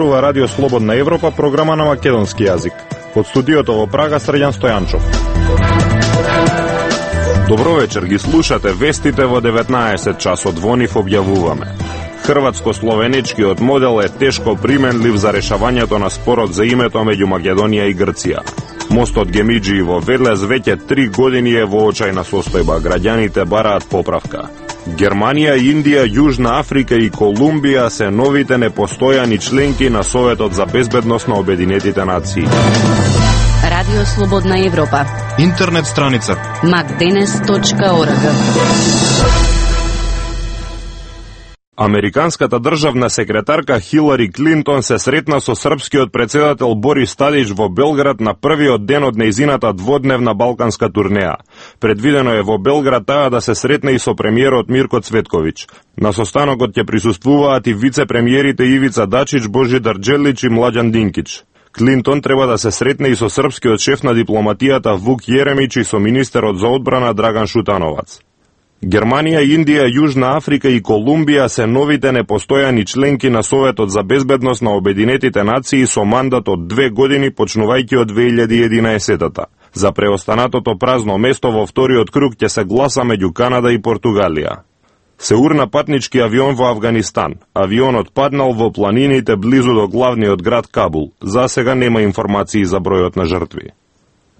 зборува Радио Слободна Европа, програма на македонски јазик. Од студиото во Прага Срđan Стојанчов. Добро вечер, ги слушате вестите во 19 часот, во нив објавуваме. Хрватско-словеничкиот модел е тешко применлив за решавањето на спорот за името меѓу Македонија и Грција. Мостот Гемиџи во Велес веќе 3 години е во очајна состојба, граѓаните бараат поправка. Германија, Индија, Јужна Африка и Колумбија се новите непостојани членки на Советот за безбедност на Обединетите нации. Радио Слободна Европа. Интернет страница macdenes.org. Американската државна секретарка Хилари Клинтон се сретна со српскиот председател Борис Тадич во Белград на првиот ден од нејзината дводневна балканска турнеја. Предвидено е во Белград таа да се сретне и со премиерот Мирко Цветковиќ. На состанокот ќе присуствуваат и вице-премиерите Ивица Дачич, Божидар Џелич и Младјан Динкич. Клинтон треба да се сретне и со српскиот шеф на дипломатијата Вук Јеремич и со министерот за одбрана Драган Шутановац. Германија, Индија, Јужна Африка и Колумбија се новите непостојани членки на Советот за безбедност на Обединетите нации со мандат од 2 години почнувајќи од 2011-та. За преостанатото празно место во вториот круг ќе се гласа меѓу Канада и Португалија. Се урна патнички авион во Авганистан. Авионот паднал во планините близу до главниот град Кабул. За сега нема информации за бројот на жртви.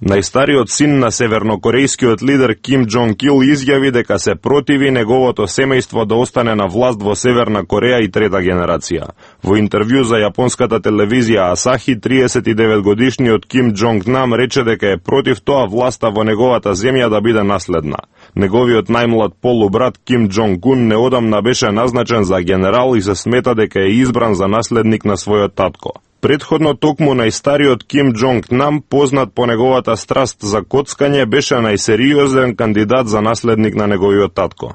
Најстариот син на севернокорејскиот лидер Ким Џонг Ил изјави дека се противи неговото семејство да остане на власт во Северна Кореја и трета генерација. Во интервју за јапонската телевизија Асахи, 39-годишниот Ким Џонг Нам рече дека е против тоа власта во неговата земја да биде наследна. Неговиот најмлад полубрат Ким Џонг Ун неодамна беше назначен за генерал и се смета дека е избран за наследник на својот татко. Предходно токму најстариот Ким Џонг Нам, познат по неговата страст за коцкање, беше најсериозен кандидат за наследник на неговиот татко.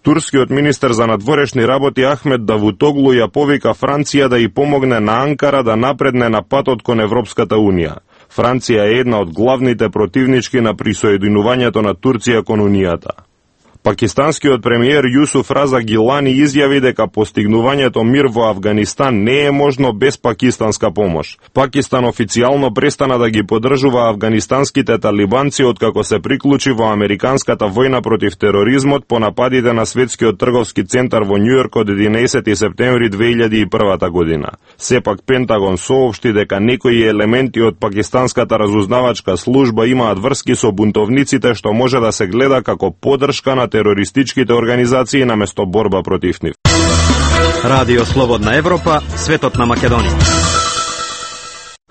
Турскиот министер за надворешни работи Ахмед Давутоглу ја повика Франција да ја помогне на Анкара да напредне на патот кон Европската унија. Франција е една од главните противнички на присоединувањето на Турција кон унијата. Пакистанскиот премиер Јусуф Раза Гилани изјави дека постигнувањето мир во Авганистан не е можно без пакистанска помош. Пакистан официјално престана да ги поддржува афганистанските талибанци откако се приклучи во американската војна против тероризмот по нападите на Светскиот трговски центар во Њујорк од 11 септември 2001 година. Сепак Пентагон соопшти дека некои елементи од пакистанската разузнавачка служба имаат врски со бунтовниците, што може да се гледа како поддршка на терористичките организации наместо борба против нив. Радио Слободна Европа, светот на Македонија.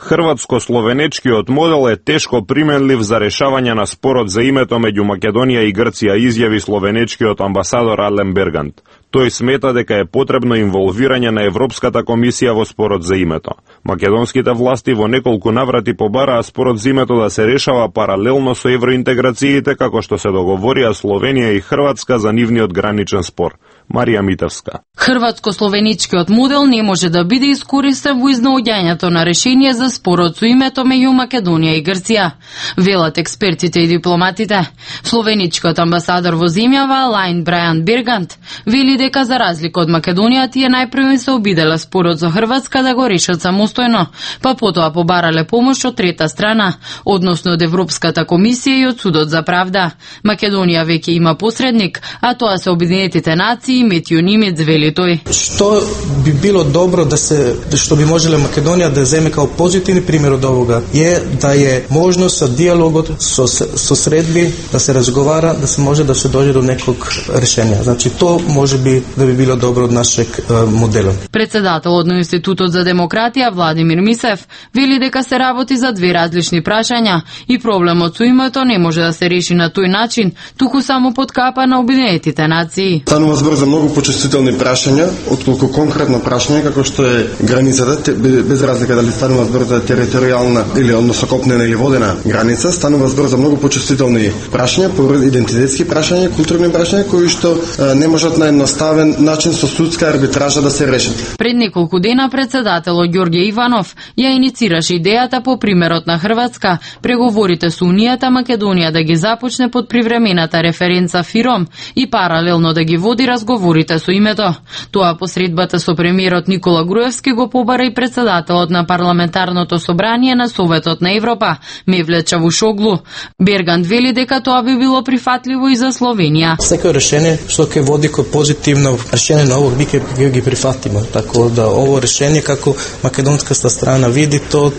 Хрватско-словенечкиот модел е тешко применлив за решавање на спорот за името меѓу Македонија и Грција, изјави словенечкиот амбасадор Ален Бергант. Тој смета дека е потребно инволвирање на Европската комисија во спорот за името. Македонските власти во неколку наврати побараа спорот за името да се решава паралелно со евроинтеграциите, како што се договорија Словенија и Хрватска за нивниот граничен спор. Марија Митевска. Хрватско-словеничкиот модел не може да биде искористен во изнаоѓањето на решение за спорот со името меѓу Македонија и Грција, велат експертите и дипломатите. Словеничкиот амбасадор во земјава Ален Бергант вели дека за разлика од Македонија тие најпрво се обиделе спорот со Хрватска да го решат самостојно, па потоа побарале помош од трета страна, односно од Европската комисија и од Судот за правда. Македонија веќе има посредник, а тоа се Обединетите нации, Метју Нимец, вели тој. Што би било добро што би можеле Македонија да земе као позитивни пример од овога е да е можност со диалогот, со средби, да се разговара, да се може да се дојде до неког решение. Значи, то може би да би било добро од нашeg модел. Председателот на Институтот за демократија Владимир Мисев вели дека се работи за две различни прашања и проблемот со името не може да се реши на тој начин, туку само под капа на Обединетите нации. Станува збор за многу почувствителни прашања, отколку конкретно прашање како што е границата, без разлика дали станува збор за територијална или односно копнена или водена граница, станува збор за многу почувствителни прашања, идентитетски прашања, културни прашања кои што не можат на едноставен начин со судска арбитража да се решат. Пред неколку дена председателот Ѓорѓе Иванов ја иницираше идејата по примерот на Хрватска, преговорите со Унијата Македонија да ги започне под привремената референца ФИРОМ и паралелно да ги води разговори разговорите со името. Тоа по средбата со премиерот Никола Груевски го побара и председателот на парламентарното собрание на Советот на Европа, Мевлет Чавушоглу. Берганд вели дека тоа би било прифатливо и за Словенија. Секој решение што ќе води кон позитивно решение на овој ќе ги прифатиме. Така да ово решение како македонската страна види то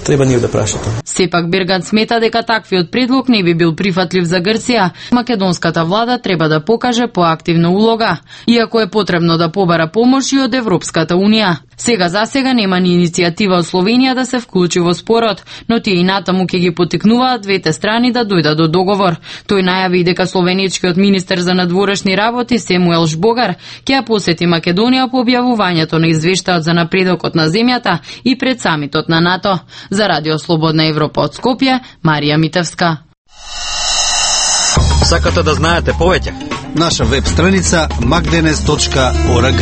треба ние да прашате. Сепак Берганд смета дека таквиот предлог не би бил прифатлив за Грција. Македонската влада треба да покаже поактивна улога, иако е потребно да побара помош и од Европската унија. Сега нема ни иницијатива од Словенија да се вклучи во спорот, но тие и натаму ќе ги потикнуваат двете страни да дојдат до договор. Тој најави дека словеничкиот министер за надворешни работи Семуел Жбогар ќе ја посети Македонија по објавувањето на извештајот за напредокот на земјата и пред самитот на НАТО. За Радио Слободна Европа од Скопје, Марија Митевска. Сакате да знаете повеќе? Наша веб страница magdenes.org.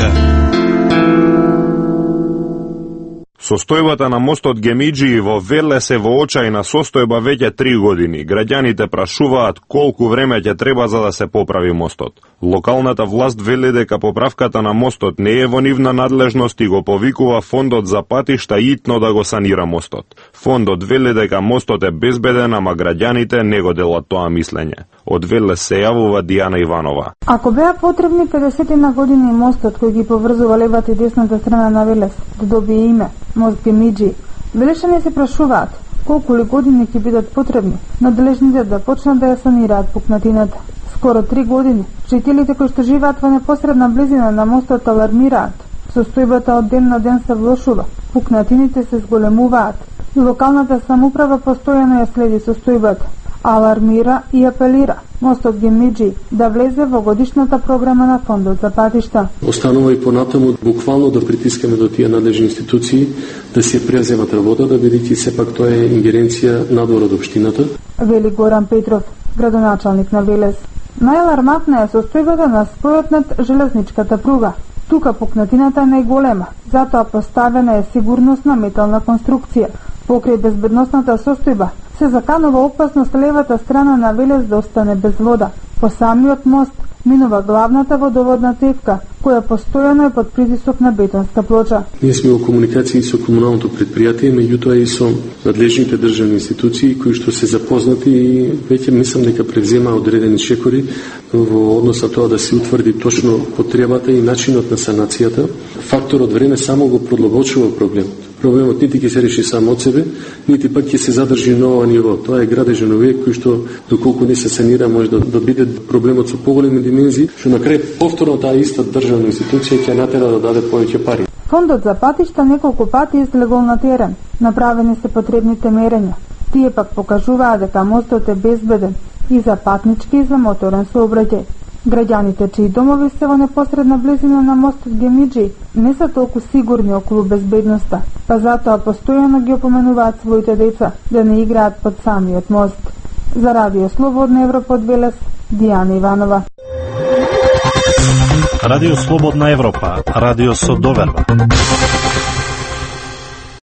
Состојбата на мостот Гемиџи во Велес е во очајна состојба веќе 3 години. Граѓаните прашуваат колку време ќе треба за да се поправи мостот. Локалната власт вели дека поправката на мостот не е во нивна надлежност и го повикува фондот за патишта итно да го санира мостот. Фондот вели дека мостот е безбеден, ама граѓаните не го делат тоа мислење. Од Велес се јавува Дијана Иванова. Ако беа потребни 50 на години мостот кој ги поврзува левата и десната страна на Велес да добие име мост Гемиџи, велешани се прашуваат колку ли години ќе бидат потребни надлежните да почнат да ја санираат пукнатината. Скоро 3 години. Жителите кои што живеат во непосредна близина на мостот алармираат. Состојбата од ден на ден се влошува. Пукнатините се зголемуваат. И локалната самоуправа постојано ја следи состојбата. Алармира и апелира мостот Гемиџи да влезе во годишната програма на фондот за патишта. Останува и понатаму буквално да притискаме до тие надлежни институции да се преземат работата, бидејќи сепак тоа е ингеренција надвор од општината. Вели Горан Петров, градоначалник на Велес. Најалармантна е состојбата на спојот над железничката пруга. Тука пукнатината е најголема, затоа поставена е сигурносна метална конструкција. Покрај безбедносната состојба се заканува опасност левата страна на Велес да остане без вода. По самиот мост минува главната водоводна цевка, која постојано е под притисок на бетонска плоча. Ние сме во комуникација со комуналното предпријатие, меѓутоа и со надлежните државни институции кои што се запознати и веќе мислам дека превзема одредени чекори во однос на тоа да се утврди точно потребата и начинот на санацијата. Факторот време само го продлабочува проблемот. Проблемот нити ќе се реши само од себе, нити пак ќе се задржи на ова ниво. Тоа е градежен објект кој што доколку не се санира може да биде проблемот со поголеми димензии, што на крај повторно таа иста државна институција ќе натера да даде повеќе пари. Фондот за патишта неколку пати излегол на терен. Направени се потребните мерења. Тие пак покажуваат дека мостот е безбеден и за патнички и за моторен сообраќај. Граѓаните чии домови се во непосредна близина на мостот Гемиџи не се толку сигурни околу безбедноста, па затоа постојано ги опоменуваат своите деца да не играат под самиот мост. За Радио Слободна Европа од Велес, Дијана Иванова. Радио Слободна Европа, радио со доверба.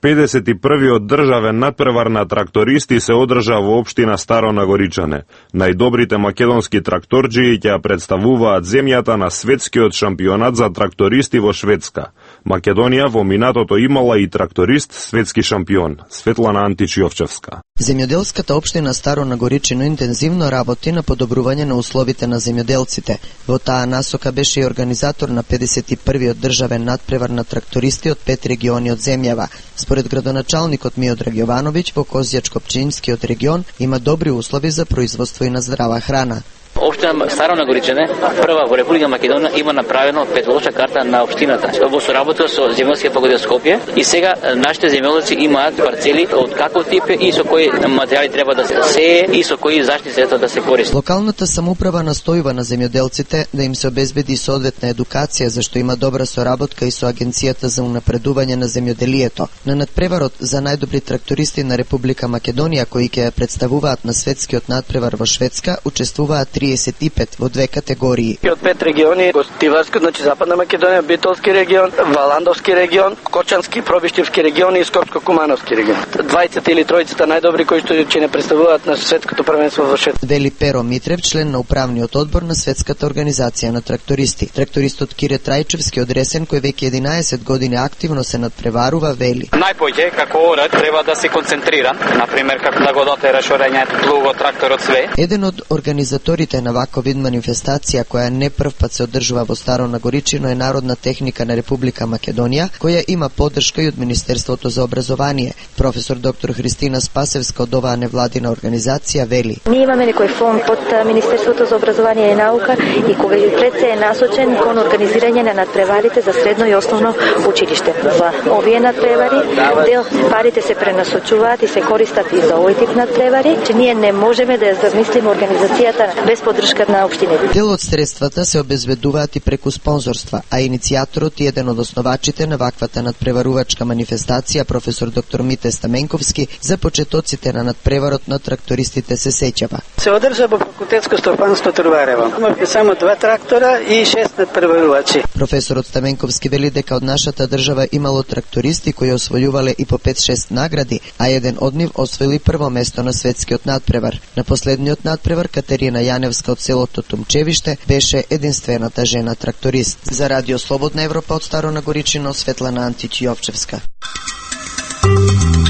51-иот државен надпревар на трактористи се одржа во општина Старо Нагоричане. Најдобрите македонски тракторџии ќе ја представуваат земјата на светскиот шампионат за трактористи во Шведска. Македонија во минатото имала и тракторист светски шампион, Светлана Антич-Јовчевска. Земјоделската општина Старо Нагоричино интензивно работи на подобрување на условите на земјоделците. Во таа насока беше и организатор на 51-иот државен надпревар на трактористи од 5 региони од земјава. Според градоначалникот Миодраг Јовановиќ, во Козјачко-Пчинскиот регион има добри услови за производство и на здрава храна. Општина Старо Нагоричане, прва во Република Македонија, има направено петолочна карта на општината во соработа со земјоделскиот факултет Скопје и сега нашите земјоделци имаат парцели од каков тип и со кои материјали треба да се сее и со кои заштитни средства да се користи. Локалната самоуправа настојува на земјоделците да им се обезбеди соодветна едукација, зашто има добра соработка и со Агенцијата за унапредување на земјоделието. На надпреварот за најдобри трактористи на Република Македонија, кои ќе представуваат на светскиот надпревар во Шведска, учествуваат 30 25 во 2 категории. Од 5 региони, Гостиварски, значи Западна Македонија, Битолски регион, Валандовски регион, Кочански, Пробиштивски регион и Скопско-Кумановски регион. 20 или тројцата најдобри кои што ќе не представуваат на светското првенство во шет. Вели Перо Митрев, член на управниот одбор на Светската организација на трактористи. Трактористот Кире Трајчевски од Ресен, кој веќе 11 години активно се надпреварува, вели: Најпоќе како орат треба да се концентрира, на пример како да го дотера шорењето плуго тракторот све. Еден од организаторите на ваков вид манифестација, која не прв пат се одржува во Старо Нагоричино, е Народна техника на Република Македонија, која има поддршка и од Министерството за образование. Професор доктор Христина Спасевска од оваа невладина организација вели: Ние имаме некој фонд под Министерството за образование и наука и кога пред се е насочен кон организирање на надпреварите за средно и основно училиште. За овие надпревари дел парите се пренасочуваат и се користат и за овој тип надпревари, че ние не можеме да ја замислиме организацијата без поддршка на општините. Дел од средствата се обезбедуваат и преку спонзорства, а иницијаторот и еден од основачите на ваквата надпреварувачка манифестација, професор доктор Мите Стаменковски, за почетоците на надпреварот на трактористите се сеќава. Се одржа во факултетско стопанство Труварево. Имавме само 2 трактора и 6 надпреварувачи. Професорот Стаменковски вели дека од нашата држава имало трактористи кои освојувале и по 5-6 награди, а еден од нив освоили прво место на светскиот надпревар. На последниот надпревар Катерина Јаневска од селото Тумчевиште беше единствената жена тракторист. За Радио Слободна Европа од Старо Нагоричино, Светлана Антич Јовчевска.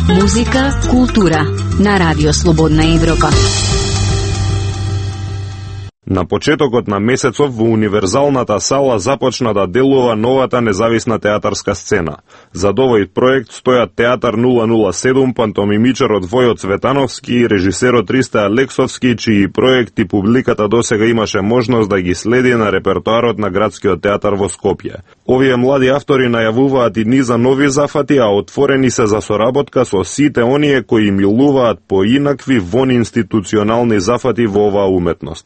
Музика, култура на Радио Слободна Европа. На почетокот на месецов во универзалната сала започна да делува новата независна театарска сцена. За овој проект стојат Театар 007, пантомимичарот Војо Цветановски и режисерот Ристо Алексовски, чии проекти публиката досега имаше можност да ги следи на репертоарот на Градскиот театар во Скопје. Овие млади автори најавуваат и низа нови зафати, а отворени се за соработка со сите оние кои милуваат поинакви вонинституционални зафати во оваа уметност.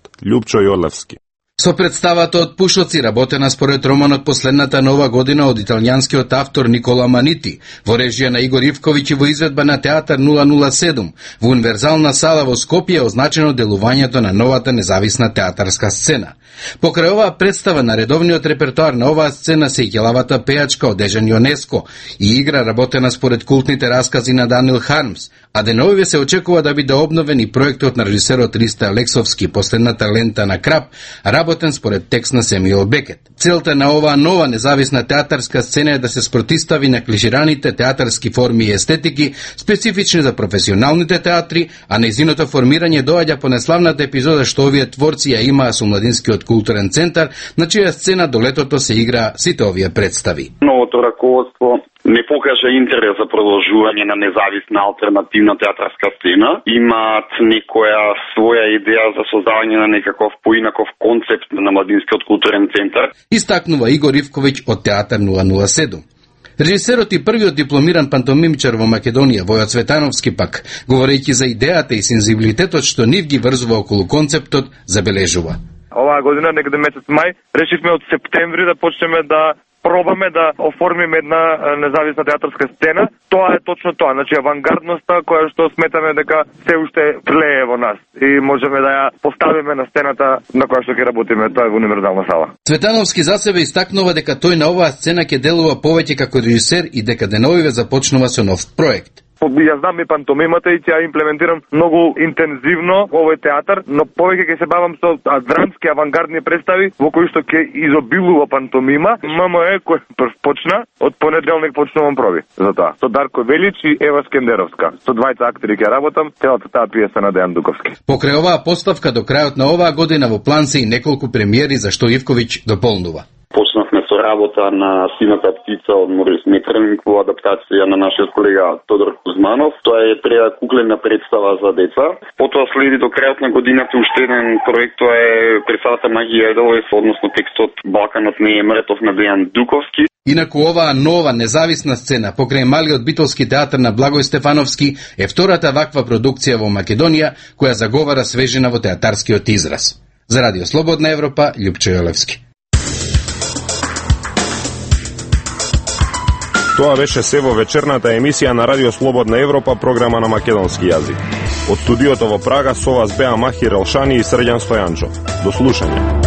Јолевски. Со представата од Пушоци, работена според романот Последната нова година од италијанскиот автор Никола Манити, во режија на Игор Ивковиќ и во изведба на Театар 007, во универзална сала во Скопје е означено делувањето на новата независна театарска сцена. Покрај оваа представа на редовниот репертоар на оваа сцена се и ќелавата пејачка од Дежан Јонеско и игра работена според култните раскази на Даниел Хармс, а деновиве се очекува да биде обновен и проектот на режисерот Ристо Алексовски Последната лента на Крап, работен според текст на Семюел Бекет. Целта на оваа нова независна театарска сцена е да се спротистави на клишираните театарски форми и естетики, специфични за професионалните театри, а нејзиното формирање доаѓа по неславната епизода што овие творци ја имаа со Младинскиот културен центар, на чија сцена до летото се игра сите овие представи. Новото раководство не покажа интерес за продолжување на независна алтернативна театарска сцена. Имаат некоја своја идеја за создавање на некаков поинаков концепт на Младинскиот културен центар. Истакнува Игор Ивковиќ од Театар 007. Режисерот и првиот дипломиран пантомимчар во Македонија, Војо Цветановски пак, говорејќи за идејата и сензибилитетот што нив ги врзува околу концептот, забележува. Оваа година, некаде месец мај, решивме од септември да почнеме да пробаме да оформиме една независна театарска сцена. Тоа е точно тоа, значи авангардноста која што сметаме дека се уште тлее во нас и можеме да ја поставиме на сцената на која што ќе работиме, тоа е во универзална сала. Цветановски за себе истакнува дека тој на оваа сцена ќе делува повеќе како режисер и дека деновиве започнува со нов проект. Ја знам и пантомимата и ќе ја имплементирам многу интензивно овој театар, но повеќе ќе се бавам со драмски авангардни представи во кои што ќе изобилува пантомима. ММЕ кој прв почна, од понеделник почнувам проби за тоа. Со Дарко Велич и Ева Скендеровска. Со двајца актери ќе работам, целата таа пиеса на Дејан Дуковски. Покрај оваа поставка до крајот на оваа година во план се и неколку премиери за што Ивковиќ дополнува. Почнавме со работа на Сината птица од Морис Метрник во адаптација на нашиот колега Тодор Кузманов. Тоа е куклена представа за деца. Потоа следи до крајот на годината уште еден проект, тоа е представата Магија Еделојс, односно текстот Балканот не е мртов на Дејан Дуковски. Инаку оваа нова независна сцена покрај малиот битолски театар на Благој Стефановски е втората ваква продукција во Македонија која заговара свежина во театарскиот израз. За Радио Слободна Европа, Љупчо Јолевски. Тоа беше се во вечерната емисија на Радио Слободна Европа, програма на македонски јазик. Од студиото во Прага со вас беа Махир Елшани и Срđan Стојанчов. До слушање.